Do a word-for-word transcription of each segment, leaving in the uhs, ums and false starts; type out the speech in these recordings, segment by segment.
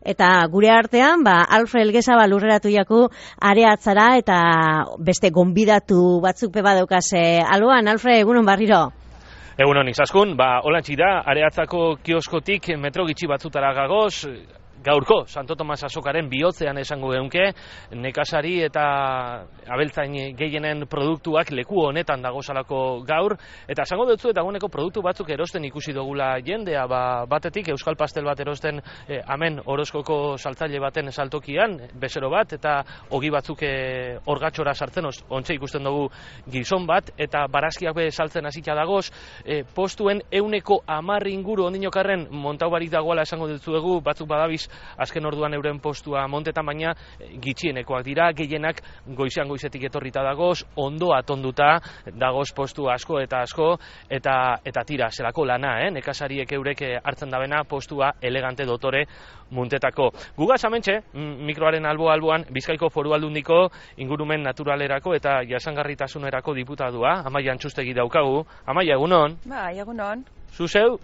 eta gure artean, ba, Alfred Elgezabal lurreratu jaku areatzara eta beste gonbidatu batzuk peba daukase. Aloan, Alfred, egunon barriro? Egunon, izaskun, ba, olantxi da, areatzako kioskotik metro gitxi batzutara gagoz, gaurko, Santo Tomas azokaren bihotzean esango geunke, nekazari eta abeltzain gehienen produktuak leku honetan dagozalako gaur, eta esango dutzu eta guneko produktu batzuk erosten ikusi dugula jendea, ba, batetik Euskal Pastel bat erosten eh, amen Orozkoko saltzaile baten saltokian, bezero bat, eta ogi batzuk eh, orgatxora sartzen, ontsa ikusten dugu gizon bat, eta barazkiak be saltzen hasita dagoz, eh, postuen euneko amarri inguru ondinokarren montau barik dagoela esango dutzuegu, batzuk badabiz azken orduan euren postua montetan, baina gitxienekoak dira, gehienak goizean goizetik etorrita dagoz, ondo atonduta dagoz postu asko eta asko, eta eta tira, zelako lana, eh? Nekazariek eurek hartzen dabena postua elegante dotore muntetako. Gugaz amentxe, mikroaren albo-alboan, Bizkaiko Foru Aldundiko ingurumen naturalerako eta jasangarritasunerako diputadua, Amaia Antxustegi daukagu. Amaia, egunon? Bai, egunon. Zuzeu,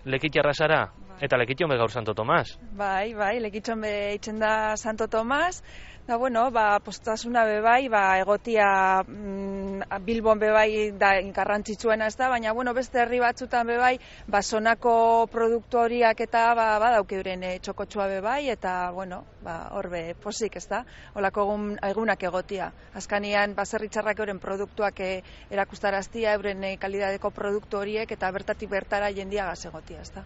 lekitxarra zara? Eta lekitxon be gaur Santo Tomas. Bai, bai, lekitxon be itzen da Santo Tomas. Da, bueno, ba, postasuna be bai, ba, egotia mm, Bilbon be bai da garrantzitsuena ez da, baina, bueno, beste herri batzutan be bai, ba, sonako produktu horiak eta, ba, ba dauke euren e, txokotxua be bai, eta, bueno, ba, horbe posik ez da, holako egun, egunak egotia. Azkanian, baserritzarrak euren produktuak e, erakustaraztia, euren e, kalidadeko produktu horiek, eta bertatik bertara jendiagaz egotia, ez da.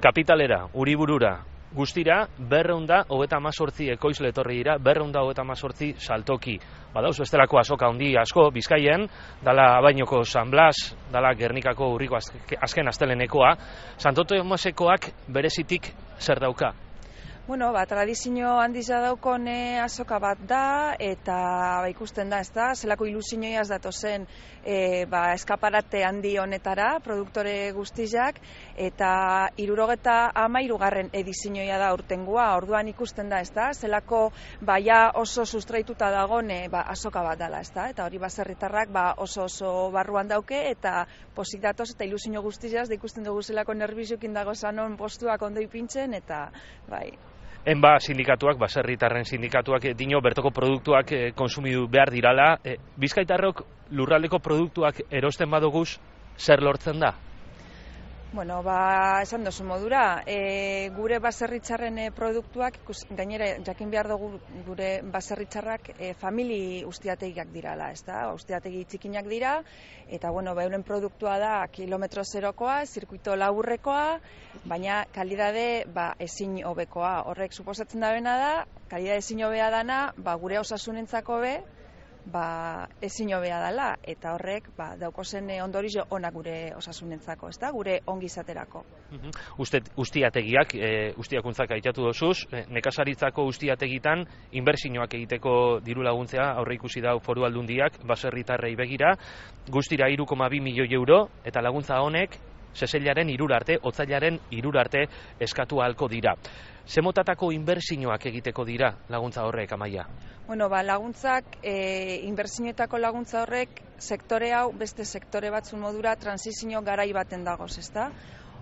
Kapitalera, Uriburura, guztira, berreunda hogeta amazortzi ekoizle etorri dira, berreunda hogeta amazortzi saltoki. Badauz, bestelako azoka handi asko, Bizkaien, dala Abainoko San Blas, dala Gernikako urriko azken astelenekoa. Santo Tomasekoak berezitik zer dauka? Bueno, ba, tradizio handiza daukon e, azoka bat da, eta ba, ikusten da, ez da, zelako ilusioiaz datozen e, ba, eskaparate handi honetara, produktore guztizak, eta hirurogeta hamairugarren edizioia da urtengoa, orduan ikusten da, ez da, zelako ba, ja oso sustraituta dagone ba, azoka bat dela, ez da, eta hori baserritarrak ba, oso oso barruan dauke, eta posik datoz eta ilusio guztizaz, da ikusten dugu zelako nerbiziokin dago zanon postuak ondo ipintzen, eta bai. Enba sindikatuak, baserritarren sindikatuak dino bertoko produktuak e, konsumidu behar dirala. E, Bizkaitarrok lurraldeko produktuak erosten badoguz, zer lortzen da? Bueno, ba, esan dozu modura, e, gure baserritzarren e, produktuak, ikus, gainera jakin behar dugu gure baserritzarrak e, famili ustiategiak dirala, ez da? Ustiategi txikinak dira, eta bueno, ba, euren produktua da kilometro zerokoa, zirkuito laburrekoa, baina kalidade ba, ezin hobekoa. Horrek suposatzen da bena da, kalidade ezin hobea dana, ba, gure osasunentzako be, ba, ezin hobea dela, eta horrek ba, daukozen ondorio ona gure osasunentzako, ez da, gure ongizaterako. Uste, ustiategiak, e, ustiakuntzak aitatu dozuz, e, nekazaritzako ustiategitan inbertsioak egiteko diru laguntzea aurre ikusi dau Foru Aldundiak baserritarrei begira, guztira hiru koma bi milioi euro, eta laguntza honek seseilaren hirura arte, otzailaren hirura arte eskatu ahalko dira. Zemotatako inbertsioak egiteko dira laguntza horrek, Amaia? Bueno, ba, laguntzak, e, inbertsioetako laguntza horrek sektore hau beste sektore batzun modura transizio garai baten dagoz, ezta?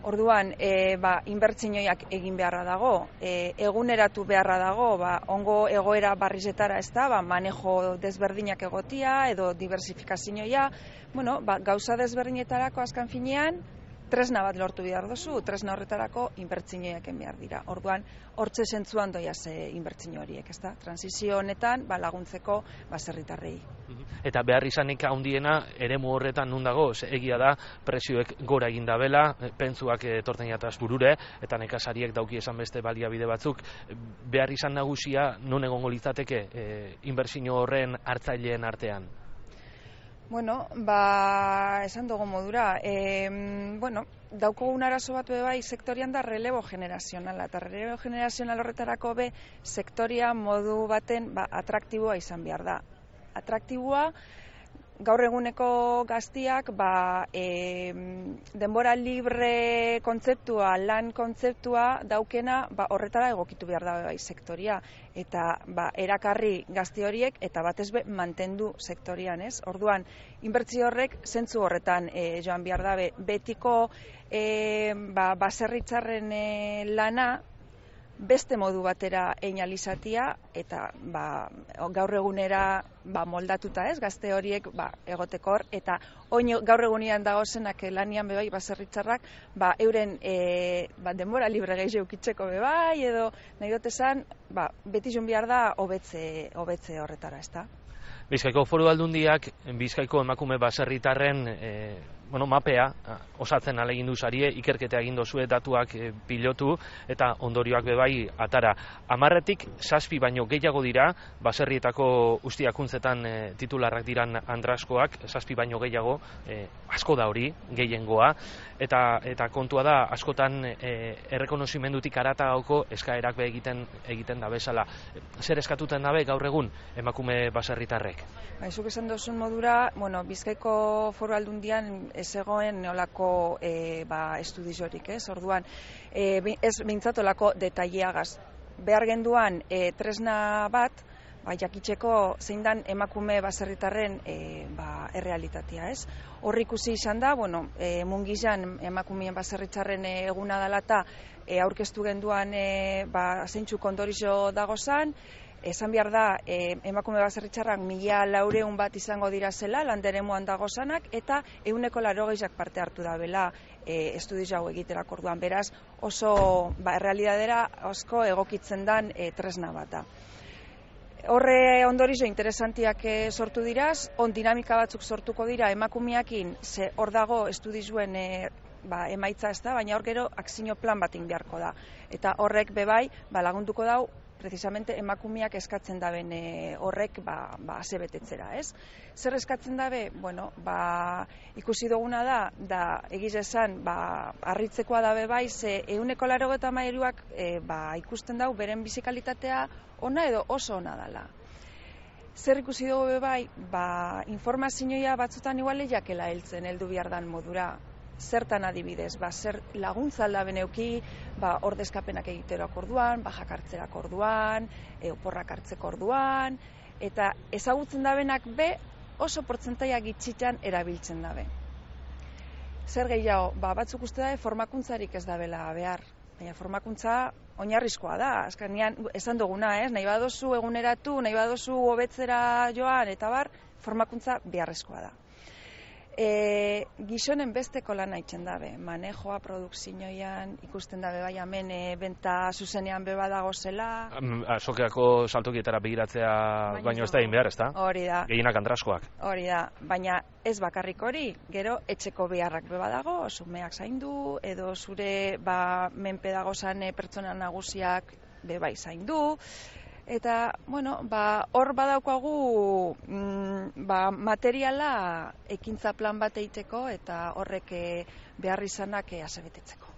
Orduan, e, ba, inbertsioiak egin beharra dago, e, eguneratu beharra dago, ba, ongo egoera barrizetara, ezta? Ba, manejo desberdinak egotia edo diversifikazioia, bueno, ba, gauza desberdinetarako azkan finean, tresna bat lortu behar dozu, tresna horretarako inbertsioiak egin behar dira. Orduan, hortze zentzuan doia ze inbertsio horiek, ezta? Transizio honetan ba, laguntzeko baserritarrei. Eta behar izanik handiena eremu horretan nun dago, egia da prezioek gora egin dabela, pentsuak etorten jataz burure, eta nekazariek dauki esan beste baliabide batzuk. Behar izan nagusia non egongo litzateke e, inbertsio horren hartzaileen artean? Bueno, ba, esan dugu modura, e, bueno, daukogun arazo bat bai sektorian da relebo generazionala, eta relebo generazional horretarako be sektoria modu baten ba, atraktiboa izan behar da. Atraktiboa, gaur eguneko gaztiak ba, e, denbora libre kontzeptua, lan kontzeptua daukena ba, horretara egokitu behar da bai sektoria. Eta ba, erakarri gazti horiek eta batez be mantendu sektorian, ez? Orduan, inbertsio horrek zentzu horretan e, joan behar dabe. Betiko e, ba, baserritzarren e, lana beste modu batera einalizatia eta ba, gaur egunera ba, moldatuta ez, gazte horiek ba, egotekor eta oin gaur egunean dagozenak lanian bebai baserritzarrak ba, euren e, ba, denbora libre gehiago eukitzeko bebai edo nahi dut esan ba, beti joan behar da hobetze, hobetze horretara, ezta? Bizkaiko Foru Aldundiak Bizkaiko emakume baserritarren e, bueno, mapea osatzen ahalegindu sarie, ikerketa egin dozue datuak e, pilotu eta ondorioak bebai atara. Hamarretik zazpi baino gehiago dira, baserrietako ustiakuntzetan e, titularrak diran andraskoak, zazpi baino gehiago, e, asko da hori, gehiengoa, eta eta kontua da, askotan e, errekonozimendutik aratagauko eskaerak be egiten egiten da bezala. Zer eskatuten dabe gaur egun emakume baserritarrek? Ba, zuk esan dozun modura, bueno, Bizkaiko Foru Aldundian ez egoen neolako e, ba, estudizorik, ez? Orduan, e, ez behintzat olako detaileagaz. Behar genduan e, tresna bat, ba, jakitzeko zein dan emakume baserritarren e, ba, errealitatea, ez? Hor ikusi izan da, bueno, e, mungizan emakumeen baserritarren eguna dalata e, aurkeztu genduan e, ba, zeintzu kondorizo dagozan, esan behar da, e, emakume baserritarrak mila laureun bat izango dira zela, landeremuan dagozanak, eta ehuneko laurogeiak parte hartu da bela e, estudiz hau egiterak orduan. Beraz, oso ba, errealidadera asko egokitzen dan e, tresna bata. Horre ondorizo interesantiak sortu diraz, on dinamika batzuk sortuko dira emakumeakin, ze hor dago estudizuen e, ba, emaitza ez da, baina hor gero akzio plan bat beharko da. Eta horrek bebai ba, lagunduko dau, precisamente emakumeak eskatzen daben e, horrek ba, ba, asebetetzera, ez? Zer eskatzen dabe? Bueno, ba, ikusi duguna da, da egiz esan, ba, harritzekoa dabe bai, ze ehuneko laurogeita hamairuak e, ba, ikusten dau, beren bizikalitatea ona edo oso ona dala. Zer ikusi dugu bai, ba, informazioa batzutan iguale jakela heltzen, heldu behar dan modura. Zertan adibidez, ba, zer laguntza aldaben euki, ba, ordezkapenak egiteroak orduan, bajak hartzerak orduan, e, oporrak hartzeko orduan, eta ezagutzen dabenak be oso portzentaia gitxitan erabiltzen dabe. Zer gehiago, ba, batzuk uste dabe formakuntzarik ez dabela behar, baina formakuntza oinarrizkoa da, azkenean esan duguna, ez? Nahi badozu eguneratu, nahi badozu hobetzera joan, eta bar, formakuntza beharrezkoa da. E, gizonen besteko lan haitzen dabe, manejoa, produkzioan, ikusten dabe bai hemen e, benta zuzenean beba dago zela. Azokeako saltokietara begiratzea baino, baino ez da egin behar, ez da? Hori da. Gehienak andraskoak. Hori da, baina ez bakarrik hori, gero etxeko beharrak beba dago, zumeak zaindu, edo zure ba, menpe dagozan e, pertsona nagusiak bebai zaindu. Eta, bueno, ba, hor badaukagu mm, ba, materiala ekintza plan bat egiteko eta horrek behar izanak asebetetzeko.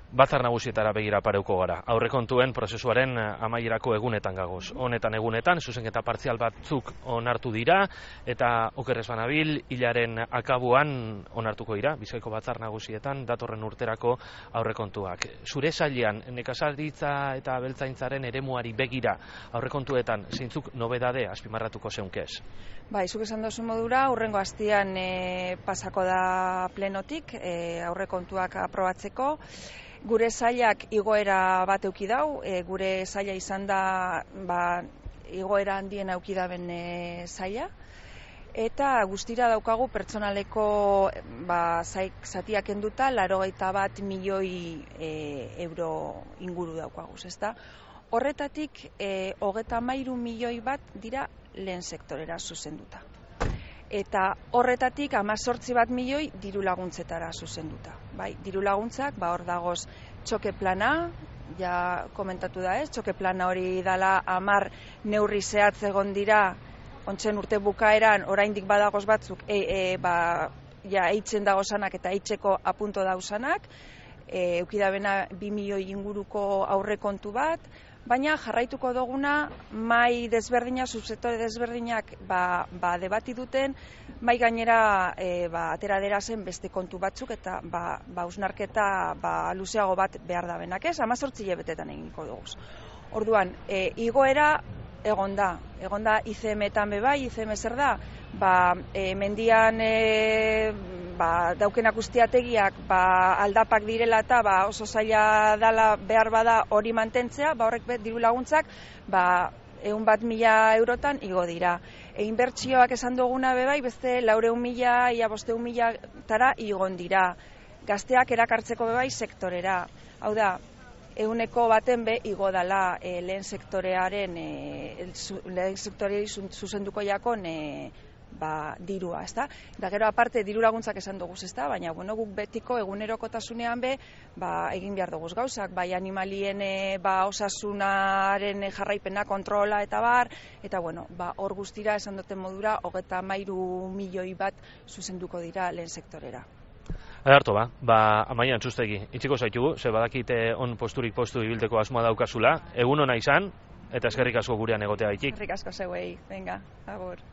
Batzar nagusietara begira pareuko gara. Aurrekontuen prozesuaren amaierako egunetan gagoz. Honetan egunetan, zuzenketa partzial batzuk onartu dira, eta okerrez banabil, hilaren akabuan onartuko dira, Bizkaiko batzar nagusietan, datorren urterako aurrekontuak. Zure sailean, nekazaritza eta abeltzaintzaren eremuari begira, aurrekontuetan, zeintzuk nobedade azpimarratuko zeunkez? Ba, izuk esan dozu modura, hurrengo astian e, pasako da plenotik, e, aurrekontuak aprobatzeko. Gure sailak igoera bat euki dau, e, gure saila izan da ba, igoera handien auki daben e, saila, eta guztira daukagu pertsonaleko ba, zatiak enduta, laurogeita bat milioi e, euro inguru daukaguz, ezta? Horretatik, e, hogeta hamairu milioi bat dira lehen sektorera zuzenduta. Eta horretatik hamazortzi bat milioi diru laguntzetara zuzenduta. Bai, diru laguntzak, ba hor dagoz txoke plana, ja komentatu da ez, txoke plana hori dala hamar neurri zehatz egon dira, ontzen urte bukaeran, oraindik badagoz batzuk, e, e, ba, ja, eitzen dagozanak eta eitzeko apunto dauzanak, e, eukidabena bi milioi inguruko aurrekontu bat, baina jarraituko duguna mai desberdina, subsektore desberdinak ba, ba debati duten, mai gainera e, ba, atera dera zen beste kontu batzuk eta ba, ba usnarketa ba, luzeago bat behar da benak ez, hamazortzi hilabetetan egingo dugu. Orduan, e, igoera egon da, egon da I C M-etan bebai, I C M zer da, ba, e, mendian e, ba, daukenak ustiategiak ba, aldapak direla eta ba, oso zaila dala behar bada hori mantentzea, ba, horrek bet, diru laguntzak ba, egun bat mila eurotan igo dira. E, inbertsioak esan duguna bebai, beste laureun mila, ia bosteun mila tara igon dira. Gazteak erakartzeko bebai sektorera. Hau da, eguneko baten be igo dala e, lehen sektorearen, e, lehen sektoreari zuzenduko jakon e, ba, dirua, ezta? Da gero aparte diru laguntzak esan dugu, ezta? Baina bueno, guk betiko egunerokotasunean be, ba, egin behar dugu gauzak, bai animalien e, ba, osasunaren jarraipena kontrola eta bar, eta bueno, ba, hor guztira esan duten modura hogeita hamairu milioi bat zuzenduko dira lehen sektorera. Adarto ba, ba amaian txustegi, itxiko zaitugu, ze badakite on posturik postu ibilteko asmoa daukazula, egun ona izan, eta eskerrik asko gurean egotea gaitik. Eskerrik asko zeuei, venga, agur.